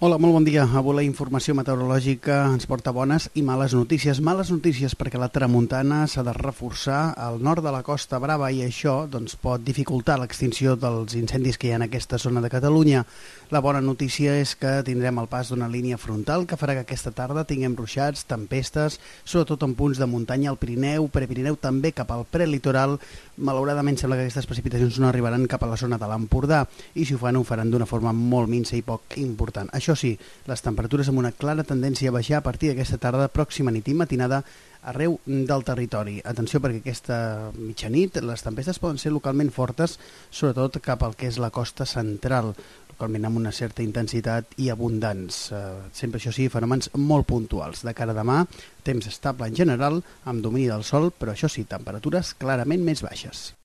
Hola, molt bon dia. Avui la informació meteorològica ens porta bones i males notícies. Males notícies perquè la tramuntana s'ha de reforçar al nord de la Costa Brava i això pot dificultar l'extinció dels incendis que hi ha en aquesta zona de Catalunya. La bona notícia és que tindrem el pas d'una línia frontal que farà que aquesta tarda tinguem ruixats, tempestes, sobretot en punts de muntanya al Pirineu, Prepirineu, també cap al prelitoral. Malauradament sembla que aquestes precipitacions no arribaran cap a la zona de l'Empordà i si ho faran d'una forma molt minsa i poc important. Això sí, les temperatures amb una clara tendència a baixar a partir d'aquesta tarda, pròxima nit i matinada, arreu del territori. Atenció perquè aquesta mitjanit les tempestes poden ser localment fortes, sobretot cap al que és la costa central, localment amb una certa intensitat i abundants. Sempre, això sí, fenòmens molt puntuals. De cara a demà, temps estable en general, amb domini del sol, però això sí, temperatures clarament més baixes.